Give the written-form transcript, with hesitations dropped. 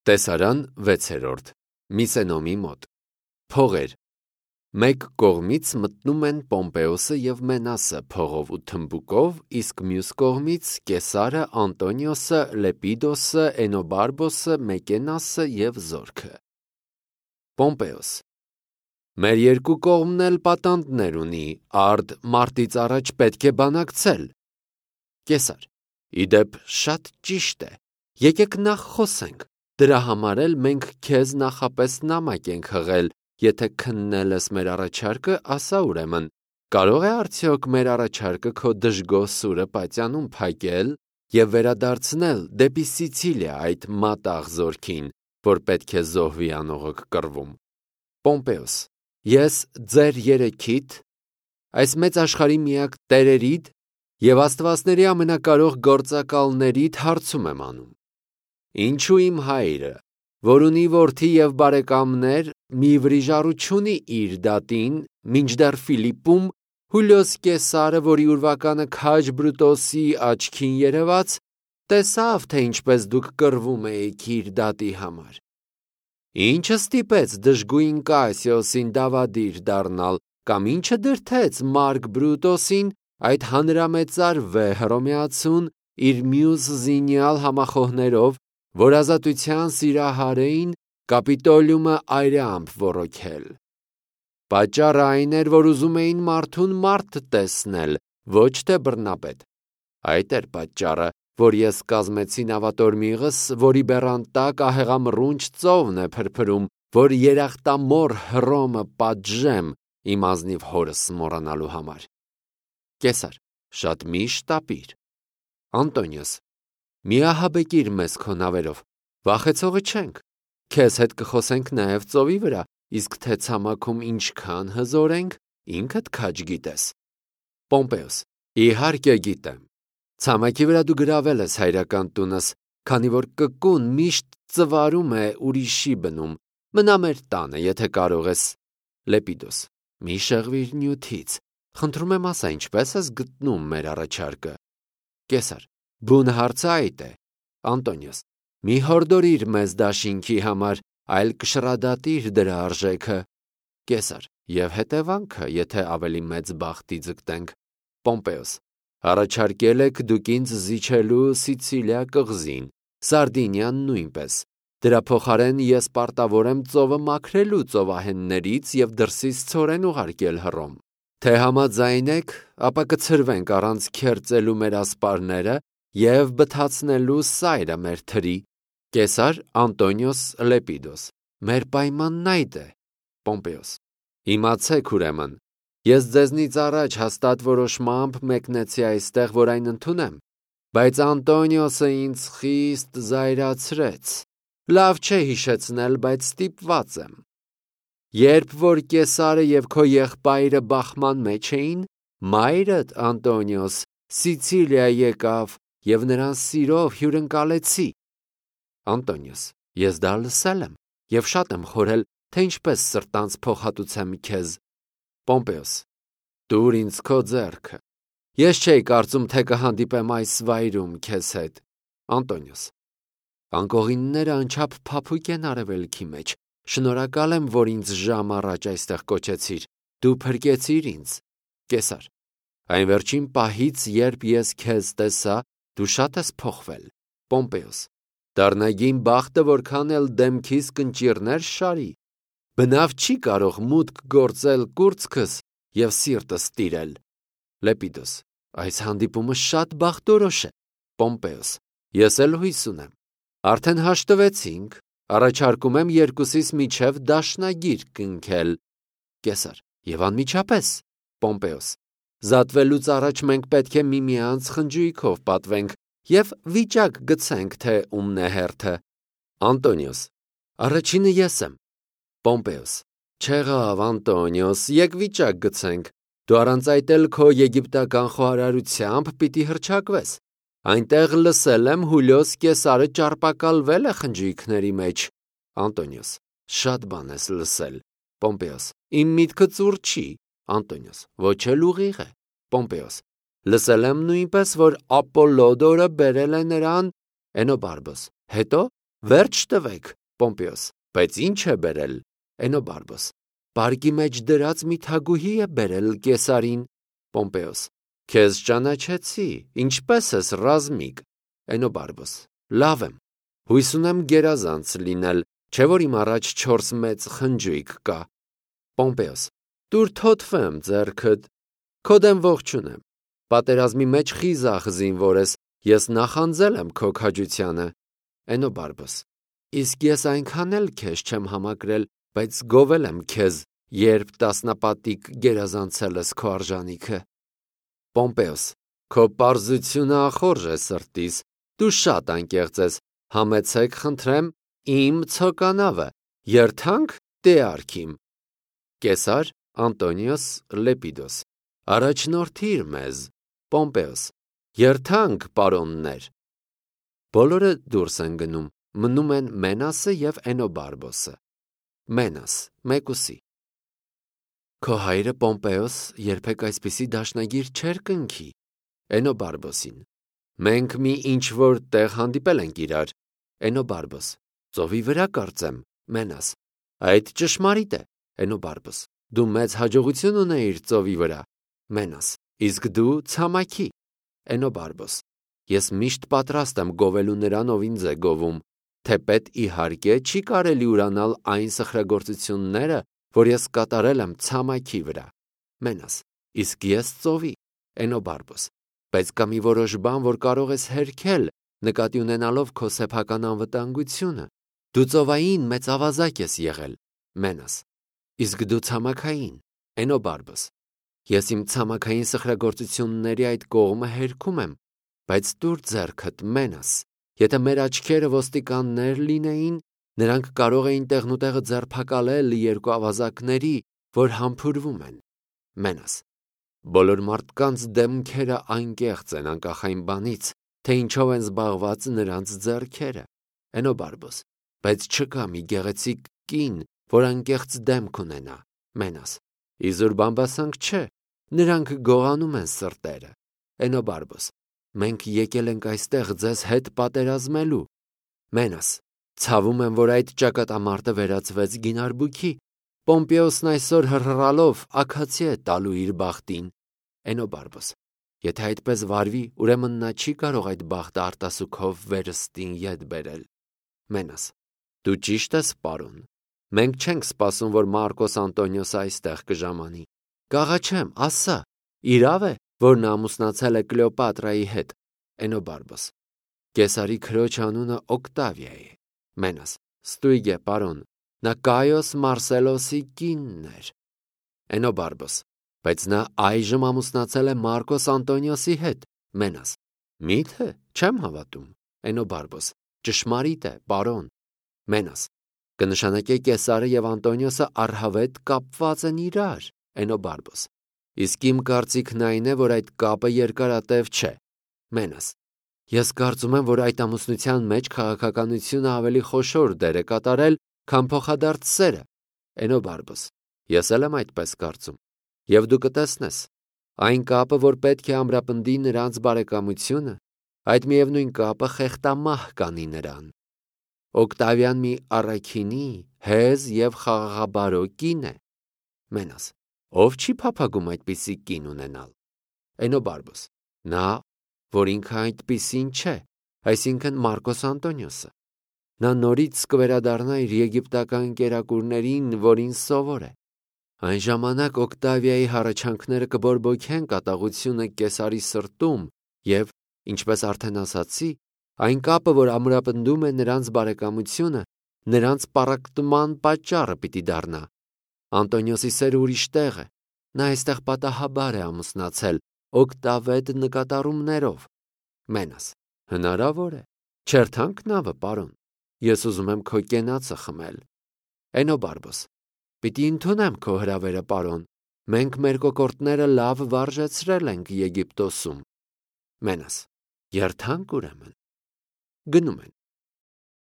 Տեսարան 6-րդ Միսենոմի մոտ Փողեր Մեկ կողմից մտնում են Պոմպեոսը և Մենասը փողով ու թմբուկով, իսկ մյուս կողմից Կեսարը, Անտոնիոսը, Լեպիդոսը, Էնոբարբոսը, Մեկենասը և զորքը։ Պոմպեոս Մեր երկու կողմն էլ պատանդներ ունի, արդ մարտից առաջ պետք է բանակցել։ Կեսար Իդեպ շատ ճիշտ է, եկեք նախ խոսենք, դրա համար էլ մենք քեզ նախապես նամակ ենք հղել, եթե քննել ես մեր առաջարկը, ասա ուրեմն, կարող է արդյոք մեր առաջարկը քո դժգոհ սուրը պատյանում փակել և վերադարձնել դեպի Սիցիլիա այդ մատաղ զորքին, որ պետք է զոհվի անողոք կռվում։ Պոմպեոս Ես ձեր երեքիդ, այս մեծ աշխարհի միակ տերերիդ և աստվածների ամենակարող գործակալներիդ հարցում եմ անում. Ինչու իմ հայրը, որ ունի որդի և բարեկամներ, մի վրիժառու չունի իր դատին, մինչդեռ Ֆիլիպպում Հուլիոս Կեսարը, որի ուրվականը քաջ Բրուտոսի աչքին երևաց, տեսավ, թե ինչպես դուք կռվում էիք իր դատի համար։ Ինչը ստիպեց դժգույն Կասիոսին դավադիր դառնալ, կամ ինչը դրդեց Մարկ Բրուտոսին այդ հանրամեծար Հռոմեացուն իր մյուս զինյալ համախոհներով, որ ազատության սիրահար էին, Կապիտոլիումը այրամբ ոռոգել։ Պատճառը այն էր, որ ուզում էին մարդուն մարդ տեսնել, ոչ թե բռնապետ։ Այդ էր պատճառը, որ ես կազմեցի նավատորմիղս, որի բեռան տակ ահեղամռունչ ծովն է փրփրում, որ երախտամոռ Հռոմը պատժեմ իմ ազնիվ հորս մոռանալու համար։ Կեսար Շատ մի շտապիր։ Անտոնիոս Մի ահաբեկիր մեզ քո նավերով, վախեցողը չենք, քեզ հետ կխոսենք նաև ծովի վրա, իսկ թե ցամաքում ինչքան հզոր ենք, ինքդ քաջ գիտես։ Պոմպեոս Իհարկե գիտեմ։ Ցամաքի վրա դու գրավել ես հայրական տունս, քանի որ կկուն միշտ ծվարում է ուրիշի բնում, մնա մեր տանը, եթե կարող ես։ Լեպիդոս Մի շեղվիր նյութից, խնդրում եմ ասա, ինչպես ես գտնում մեր առաջարկը։ Կեսար Բուն հարցը այդ է։ Անտոնիոս Մի հորդորիր մեզ դաշինքի համար, այլ կշռադատիր դրա արժեքը։ Կեսար Եվ հետևանքը, եթե ավելի մեծ բախտի ձգտենք։ Պոմպեոս Առաջարկել եք դուք ինձ զիջելու Սիցիլիա կղզին, Սարդինիան նույնպես։ Դրա փոխարեն ես պարտավոր եմ ծովը մաքրելու ծովահեններից և դրսից ցորեն ուղարկել Հռոմ։ Թե համաձայն եք, ապա կցրվենք առանց քերծելու մեր ասպարները և բթացնելու սայրը մեր թրի։ Կեսար Անտոնիոս Լեպիդոս Մեր պայմանն այդ է։ Պոմպեոս Իմացեք ուրեմն, ես ձեզնից առաջ հաստատ որոշմամբ մեկնեցի այստեղ, որ այն ընդունեմ, բայց Անտոնիոսը ինձ խիստ զայրացրեց։ Լավ չէ հիշեցնել, բայց ստիպված եմ։ Երբ որ Կեսարը և քո եղբայրը բախման մեջ էին, մայրդ Անտոնիոս Սիցիլիա եկավ և նրան սիրով հյուրընկալեցի։ Անտոնիոս Ես դա լսել եմ և շատ եմ խորհել, թե ինչպես սրտանց փոխհատուցեմ քեզ։ Պոմպեոս Տուր ինձ քո ձեռքը։ Ես չէի կարծում, թե կհանդիպեմ այս վայրում քեզ հետ։ Անտոնիոս Անկողինները անչափ փափուկ են արևելքի մեջ։ Շնորհակալ եմ, որ ինձ ժամ առաջ այստեղ կոչեցիր։ Դու փրկեցիր ինձ։ Կեսար Այն վերջին պահից, երբ ես քեզ տեսա, դու շատ ես փոխվել։ Պոմպեոս Դառնագին բախտը որքան էլ դեմքիս կնճիռներ շարի։ Բնավ չի կարող մուտք գործել կուրծքս և սիրտս տիրել։ Լեպիդոս Այս հանդիպումը շատ բախտորոշ է։ Պոմպեոս Ես էլ հույս ունեմ։ Արդեն հաշտվեցինք, առաջարկում եմ երկուսիս միջև դաշնագիր կնքել։ Կեսար Եվ անմիջապես։ Պոմպեոս Զատվելուց առաջ մենք պետք է միմյանց խնջույքով պատվենք և վիճակ գցենք, թե ումն է հերթը։ Անտոնիոս Առաջինը ես եմ։ Պոմպեոս Չեղավ, Անտոնիոս, եկ վիճակ գցենք։ Դու առանց այդ էլ քո եգիպտական խոհարարությամբ պիտի հռչակվես։ Այնտեղ լսել եմ Հուլիոս Կեսարը ճարպակալվել է խնջույքների մեջ։ Անտոնիոս Շատ բան ես լսել։ Պոմպեոս Իմ միտքը ծուռ չի։ Անտոնիոս Ոչ էլ ուղիղ է։ Պոմպեոս Լսել եմ նույնպես, որ Ապոլոդորը բերել է նրան Էնոբարբոս։ Հետո Վերջ տվեք, Պոմպեոս, բայց ինչ է բերել, Էնոբարբոս, պարկի մեջ դրած մի թագուհի է բերել կեսարին, Պոմպեոս, քեզ ճանաչեցի, ինչպես ես ռազմիկ, Էնոբարբոս, լավ եմ, հույս ունեմ գերազանց լինել, չէ որ իմ առաջ 4 մեծ խնջույք կա, Պոմպեոս, դուր թոթվեմ ձեռքդ, քո դեմ ողջունեմ, պատերազմի մեջ խիզախ զինվոր ես, ես նախանձել եմ քո քաջությանը, Էնոբարբոս, իսկ ես այնքան էլ քեզ չեմ համակրել, բայց գովել եմ քեզ, երբ տասնապատիկ գերազանցել ես քո արժանիքը, Պոմպեոս, քո պարզությունը ախորժ է սրտիս, դու շատ անկեղծ ես, համեցեք խնդրեմ իմ ցոկանավը, երթանք տեարքիմ, Կեսար Անտոնիոս Լեպիդոս, առաջնորդիր մեզ, Պոմպեոս, երթանք պարոններ, բոլորը դուրս են գնում, մնում են Մենասը և Էնոբարբոսը, Մենաս, մեկուսի, քո հայրը Պոմպեոս երբեք այսպիսի դաշնագիր չէր կնքի, Էնոբարբոսին, մենք մի ինչ-որ տեղ հանդիպել ենք իրար, Էնոբարբոս, ծովի վրա կարծեմ, Մենաս, այդ ճշմարիտ է, Էնոբարբոս, դու մեծ հաջողություն ունեիր ծովի վրա, Մենաս, իսկ դու ցամաքի, Էնոբարբոս, ես միշտ պատրաստ եմ գովելու նրան, ով ինձ է գովում, թեպետ իհարկե չի կարելի ուրանալ այն սխրագործությունները, որ ես կատարել եմ ցամաքի վրա, Մենաս, իսկ ես ծովի, Էնոբարբոս, բայց կա մի որոշ բան, որ կարող ես հերքել, նկատի ունենալով քո սեփական անվտանգությունը, դու ծովային մեծ ավազակ ես եղել, Մենաս, իսկ դու ցամաքային, Էնոբարբոս, ես իմ ցամաքային սխրագործությունների այդ կողմը հերքում եմ, բայց դուր ձեռքդ, Մենաս, եթե մեր աչքերը ոստիկաններ լինեին, նրանք կարող էին տեղնուտեղը ձերբակալել 2 ավազակների, որ համբուրվում են, Մենաս, բոլոր մարդկանց դեմքերը անկեղծ են անկախ այն բանից, թե ինչով են զբաղված նրանց ձեռքերը, Էնոբարբոս, բայց չկա մի գեղեցիկ կին, որ անկեղծ դեմք ունենա, Մենաս, իզուր բամբասանք չէ, նրանք գողանում են սրտերը, Էնոբարբոս, մենք եկել ենք այստեղ ձեզ հետ պատերազմելու, Մենաս, ցավում եմ, որ այդ ճակատամարտը վերածվեց գինարբուքի, Պոմպեոսն այսօր հռհռալով աքացի է տալու իր բախտին, Էնոբարբոս, եթե այդպես վարվի, ուրեմն նա չի կարող այդ բախտը արտասուքով վերստին ետ բերել, Մենաս, դու ճիշտ ես, պարոն, մենք չենք սպասում, որ Մարկոս Անտոնիոսը այստեղ կժամանի, կաղաչեմ, ասա, իրավ է, որ նա ամուսնացել է Կլեոպատրայի հետ, Էնոբարբոս, Կեսարի քրոջ անունը Օկտավիա է, Մենաս, ստույգ է, պարոն, նա Կայոս Մարսելոսի կինն էր, Էնոբարբոս, բայց նա այժմ ամուսնացել է Մարկոս Անտոնիոսի հետ, Մենաս, միթե չեմ հավատում, Էնոբարբոս, ճշմարիտ է, պարոն, Մենաս, կնշանակե Կեսարը և Անտոնիոսը առհավետ կապված են իրար, Էնոբարբոս, իսկ իմ կարծիքն այն է, որ այդ կապը երկարատև չէ, Մենաս, ես կարծում եմ, որ այդ ամուսնության մեջ քաղաքականությունը ավելի խոշոր դեր է կատարել, քան փոխադարձ սերը, Էնոբարբոս, ես էլ եմ այդպես կարծում, և դու կտեսնես, այն կապը, որ պետք է ամրապնդի նրանց բարեկամությունը, այդ միևնույն կապը խեղտամահ կանի նրան, Օկտավիան մի առաքինի, հեզ և խաղաղաբարո կին է, Մենաս, ով չի փափագում այդպիսի կին ունենալ, Էնոբարբոս, նա, որ ինքը այդպիսին չէ, այսինքն Մարկոս Անտոնիոսը, նա նորից կվերադառնա իր եգիպտական կերակուրներին, որին սովոր է, այն ժամանակ Օկտավիայի հառաչանքները կբորբոքեն կատաղությունը Կեսարի սրտում և, ինչպես արդեն ասացի, այն կապը, որ ամրապնդում է նրանց բարեկամությունը, նրանց պառակտման պատճառը պիտի դառնա, Անտոնիոսի սերը ուրիշ տեղ է, նա այստեղ պատահաբար է ամուսնացել, օկտավետ նկատառումներով, Մենաս, հնարավոր է, չերթանք նավը, պարոն, ես ուզում եմ քո կենացը խմել, Էնոբարբոս, պիտի ընդունեմ քո հրավերը, պարոն, մենք մեր կոկորդները լավ վարժեցրել ենք Եգիպտոսում, Մենաս, երթանք ուրեմն, գնում են,